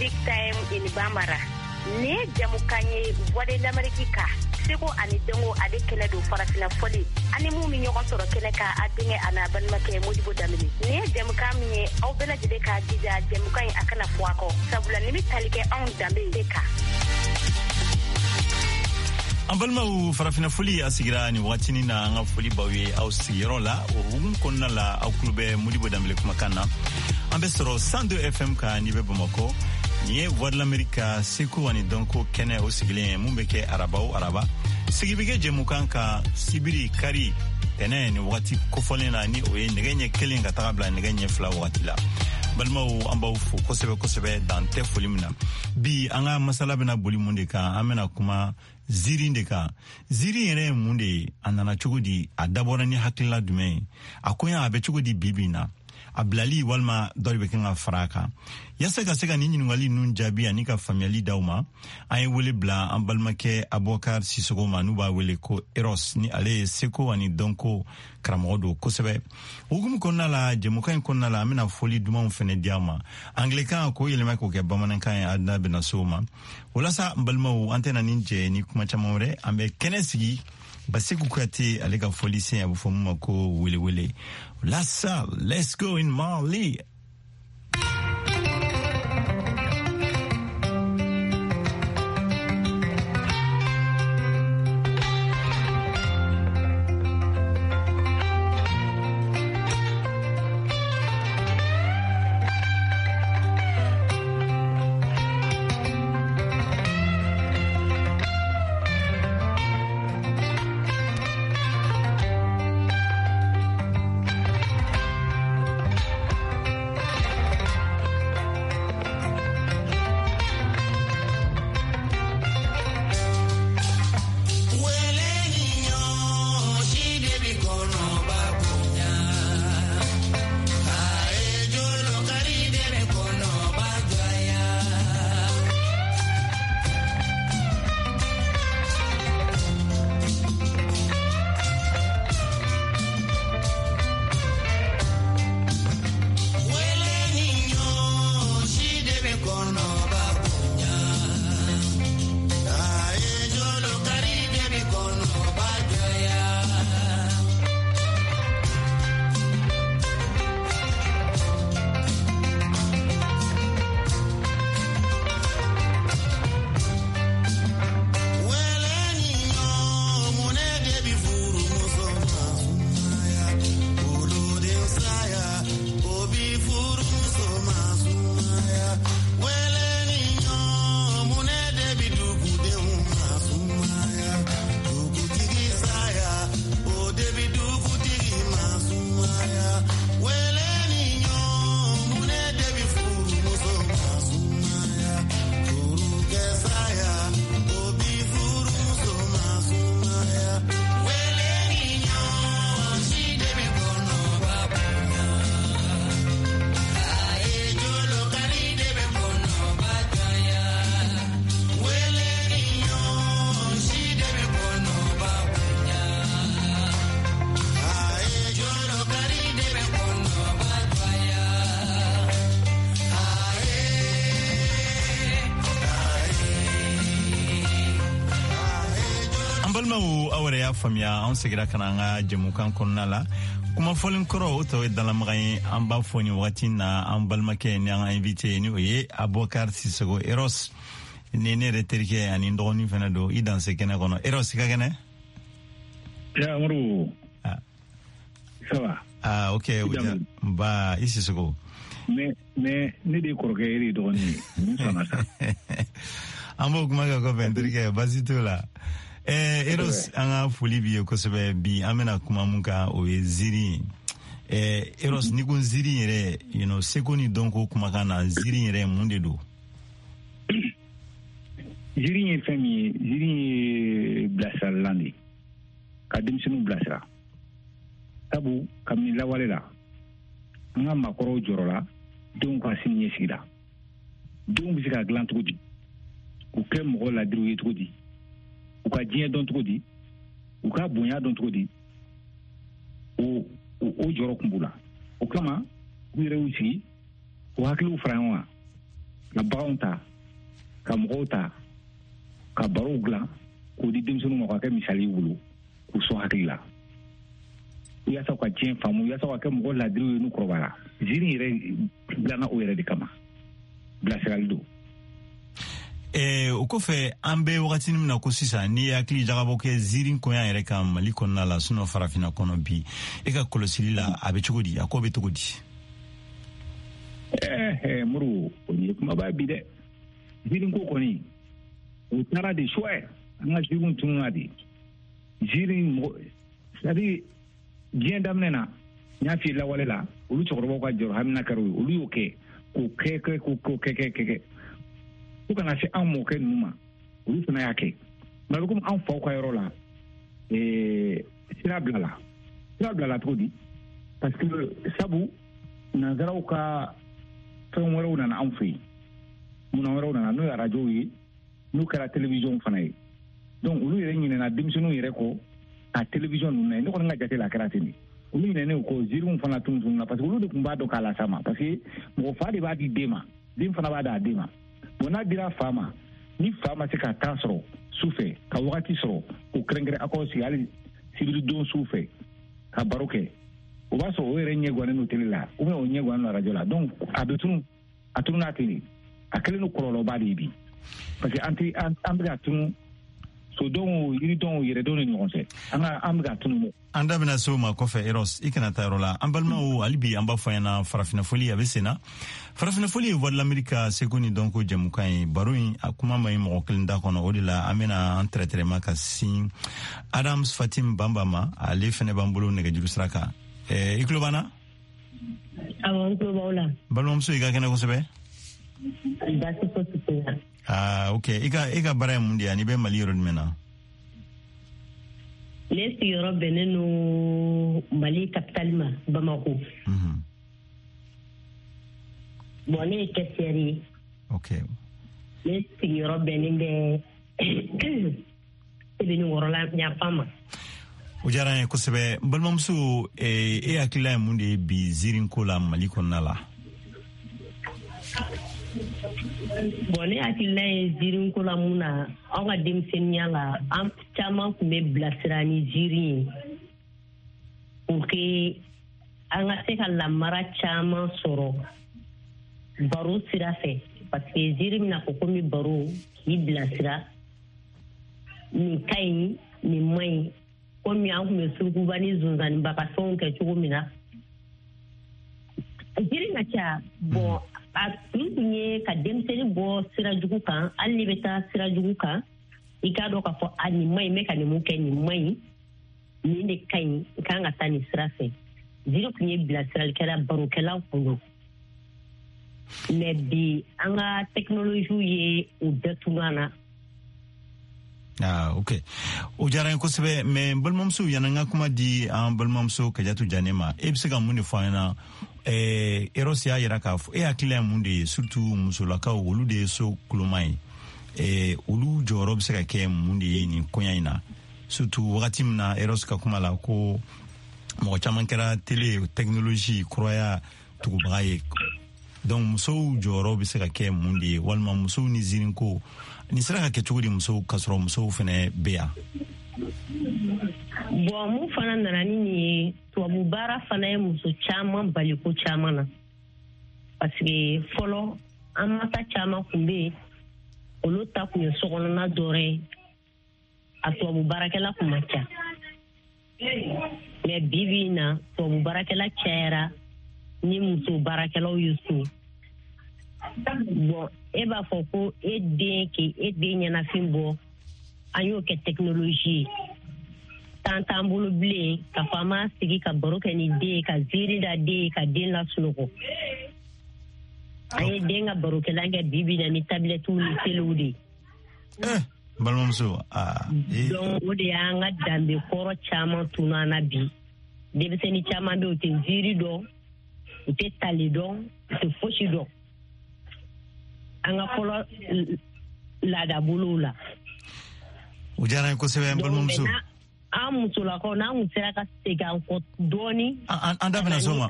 Big Time in Bambara. Nin ye jamukan ye Voix de l'Amérique ka seko ani dɔnko ale kɛnɛ don farafina fɔli ani mun bɛ ɲɔgɔn sɔrɔ kɛnɛ kan a denkɛ a n'a balimakɛ Modibo Danbele. Nin ye jamukan min ye aw bɛɛ lajɛlen k'a jija jamukan in a kana fɔ a kɔ sabula nin bɛ tali kɛ anw danbe de kan. An balimaw, farafina foli a sigira nin wagatinin na. An ka foli b'aw ye aw sigiyɔrɔ la. O hukumu kɔnɔna la, aw tulo bɛ Modibo Danbele kumakan na. An bɛ sɔrɔ 102 FM kan n'i bɛ Bamakɔ. Nin ye Voix de l'Amérique ka seko ani dɔnko kɛnɛ o sigilen ye, mun bɛ kɛ araba o araba. Sigi bɛ kɛ jɛmukan kan sibiri, kari, tɛnɛ ni wagati kofɔlen na, ni o ye nɛgɛ ɲɛ 1 ka taga bila nɛgɛ ɲɛ 2 wagati la. Balimaw, an b'aw fo kosɛbɛ kosɛbɛ, dan tɛ foli min na. Bi, an ka masala bɛna boli mun de kan? An bɛna kuma ziiri de kan. Ziiri yɛrɛ ye mun de ye? A nana cogo di? A dabɔra ni hakilila jumɛn ye? A koɲa a bɛ cogo di bi bi na? A bilali walima dɔ de bɛ kan ka fara a kan? Yasa ka se ka nin ɲininkali ninnu jaabi ani ka faamuyali d'aw ma, an ye wele bila an balimakɛ Abubakar Sisogo ma, n'u b'a wele ko Eros, ni ale ye seko ani dɔnko karamɔgɔ don kosɛbɛ. Hukumu kɔnɔna la, jɛmukan in kɔnɔna la, an bɛna fɔli dumanw fɛnɛ di aw ma anglɛkan, k'o yɛlɛma k'o kɛ bamanankan ye. A da bɛna se o ma. O la sa, n balimaw, an tɛna nin jɛ ni kuma caman wɛrɛ. An bɛ kɛnɛ sigi Baseku Kuyate, ale ka fɔli sen, a bɛ fɔ mun ma ko welewele. La sa, let's go in Mali. An balimaw, aw yɛrɛ y'a faamuya, an segira ka na an ka jɛmukan kɔnɔna la. Kuma fɔlen kɔrɔ, o tɔ ye dalamaga ye. An b'a fɔ nin wagati na, an balimakɛ ni an ka invité, ni o ye Abubakar Sisogo Eros, ni ne yɛrɛ terikɛ ani n dɔgɔnin fɛnɛ don. I danse kɛnɛ kɔnɔ, Eros, i ka kɛnɛ? Ya Amadu. Ah. Ça va? Ah, ok. Ba i Sisogo. Mais ne de ye kɔrɔkɛ ye, e de ye dɔgɔnin ye. Mun sɔnna sa? An b'o kuma kɛ kɔfɛ, n terikɛ, baasi t'o la. Eros, an ka foli b'i ye kosɛbɛ. Bi, an bɛna kuma mun kan, o ye ziiri ye. Eros, n'i ko ziiri yɛrɛ, seko ni dɔnko kumakan na, ziiri yɛrɛ mun de don? Ziiri ye fɛn min ye, ziiri ye bilasiralan de ye, ka denmisɛnninw bilasira. Sabu kabini lawale la, an ka maakɔrɔw jɔrɔla denw ka sini ɲɛsigi la. Denw bɛ se ka dilan cogo di, k'u kɛ mɔgɔ ladiriw ye cogo di, u ka diɲɛ dɔn cogo di, u ka bonya dɔn cogo di, o jɔrɔ kun b'u la. O kama, u yɛrɛ y'u sigi k'u hakiliw fara ɲɔgɔn kan. Ka baganw ta, ka mɔgɔw ta, ka barow dilan k'o di denmisɛnninw ma, k'a kɛ misali y'u bolo, k'u sɔn hakili la, yaasa u ka diɲɛ faamu, yaasa u ka kɛ mɔgɔ ladiriw ye n'u kɔrɔbayara. Ziiri yɛrɛ dilanna o yɛrɛ de kama, bilasirali don. O kɔfɛ, an bɛ wagati min na ko sisan, n'i ye hakili jagabɔ kɛ ziiri koɲa yɛrɛ kan Mali kɔnɔna la, sinon farafinna kɔnɔ bi, e ka kɔlɔsili la, a bɛ cogo di? A ko bɛ cogo di? Muru, o ye kumaba bi dɛ. Ziiri ko kɔni, o taara de suwɛ. An ka ziiriw tununna de. Ziiri mɔgɔ, c'est à dire diɲɛ daminɛ na, n y'a f'i ye, lawale la, olu cɛkɔrɔbaw ka jɔrɔ hamina kɛra o ye. Olu y'o kɛ k'o kɛ kɛ k'o kɛ kɛ kɛ kɛ fo kana se an mɔkɛ ninnu ma, olu fana y'a kɛ. Mais a bɛ komi an faw ka yɔrɔ la, sira bilala. Sira bilala cogo di? Parce que sabu nanzaraw ka fɛn wɛrɛw nana anw fɛ yen, munna wɛrɛw nana, n'o ye arajow ye, n'u kɛra télévision fana ye. Donc olu yɛrɛ ɲinɛna denmisɛnninw yɛrɛ kɔ ka télévision ninnu na. Ne kɔni ka jate la, a kɛra ten de. Olu ɲinɛnen kɔ, ziiriw fana tun tununa, parce que olu de tun b'a dɔn k'a las'a ma, parce que mɔgɔ fa de b'a di den ma, den fana b'a d'a den ma. Bon, n'a dira fa ma, ni fa ma se ka temps sɔrɔ su fɛ, ka wagati sɔrɔ k'o kɛrɛnkɛrɛn, aw k'aw sigi hali sibiri don su fɛ ka baro kɛ, o b'a sɔrɔ o yɛrɛ ɲɛ gannen don télé la ou bien o ɲɛ gannen don arajo la. Donc a bɛ tunu, a tununa ten de. A kɛlen don kɔlɔlɔba de ye bi, parce que an tɛ an bɛ ka tunu sodenw, yiridenw, yɛrɛdenw ni ɲɔgɔn cɛ. An ka an bɛ ka tunu. An da bɛna se o ma kɔfɛ. Eros, i kana taa yɔrɔ la. An balimaw, hali bi an b'a fɔ ɲɛna, Farafinna Foli a bɛ sen na. Farafinna Foli ye Voix de l'Amérique ka seko ni dɔnko jɛmukan ye. Baro in, a kuma ma ɲi mɔgɔ kelen da kɔnɔ. O de la an bɛna an tɛrɛtɛrɛma ka sin Adams Fatim Bamba ma. Ale fɛnɛ b'an bolo nɛgɛjuru sira kan. I tulo b'an na? Awɔ, n tulo b'aw la. Balimamuso, i ka kɛnɛ kosɛbɛ. Baasi fosi tɛ na. Ah, ok. I ka baara ye mun de ye, ani i bɛ Mali yɔrɔ jumɛn na? Ne sigiyɔrɔ bɛnnen no Mali capitale ma, Bamako. Bon, ne ye caissière ye. Ne sigiyɔrɔ bɛnnen bɛ Sebenikɔrɔla yanfan ma. O diyara n ye kosɛbɛ. N balimamuso, e hakilila ye mun de ye bi ziirinko la Mali kɔnɔna la? Bon, ne hakilila ye ziirinko la mun na, anw ka denmisɛnninya la, an caman tun bɛ bilasira ni ziiri ye pour que an ka se ka lamara caman sɔrɔ baro sira fɛ, parce que ziiri bɛna fɔ komi baro k'i bilasira, nin ka ɲi, nin man ɲi, komi an tun bɛ surukuba ni zonzaniba ka fɛnw kɛ cogo min na. Ziiri ka ca. Bon, a kun tun ye ka denmisɛnnin bɔ sira jugu kan. Hali n'i bɛ taa sira jugu kan, i k'a dɔn k'a fɔ a nin man ɲi, n bɛ ka nin mun kɛ, nin man ɲi, nin de ka ɲi, i kan ka taa nin sira fɛ. Ziiri tun ye bilasiralikɛla, barokɛla kun don. Mais bi, an ka technologie ye o bɛɛ tunu an na. Ah, ok, o diyara n ye kosɛbɛ. Mais n balimamuso, yanni n ka kuma di an balimamuso Kajatu Jane ma, e bɛ se ka mun de fɔ an ɲɛna? Eros y'a yira k'a fɔ, e hakilila ye mun de ye, surtout musolakaw, olu de ye so kuloma ye, olu jɔyɔrɔ bɛ se ka kɛ mun de ye nin koɲa in na, surtout wagati min na Eros ka kuma la ko mɔgɔ caman kɛra télé, technologie kuraya tugubaga ye? Donc musow jɔyɔrɔ bɛ se ka kɛ mun de ye, walima musow ni ziirinko nin sera ka kɛ cogo di, musow ka sɔrɔ musow fɛnɛ bɛ yan? Bon, mun fana nana ni nin ye, tubabu baara fana ye muso caman bali ko caman na, parce que fɔlɔ an masa caman kun bɛ yen, olu ta kun ye sokɔnɔna dɔrɔn ye, a tubabu baarakɛla kun man ca. Mais bi bi in na, tubabu baarakɛla cayara ni muso baarakɛlaw ye so. Bon, e b'a fɔ ko e den k'e e den ɲɛnafin bɔ, an y'o kɛ technologie ye. Temps t'an bolo bilen k'a fɔ an b'a sigi ka baro kɛ ni den ye, ka ziiri da den ye, ka den lasunɔgɔ. An ye den ka barokɛlan kɛ bi bi na ni tablettew ni téléw de ye. N balimamuso, aa. Donc o de y'an ka danbe kɔrɔ caman tunu an na bi. Denmisɛnnin caman bɛ yen, u tɛ ziiri dɔn, u tɛ tali dɔn, u tɛ fosi dɔn an ka fɔlɔ laadabolow la. O diyara n ye kosɛbɛ, n balimamuso. An musolakaw, n'an kun sera ka segin an kɔ dɔɔni. An da bɛna s'o ma.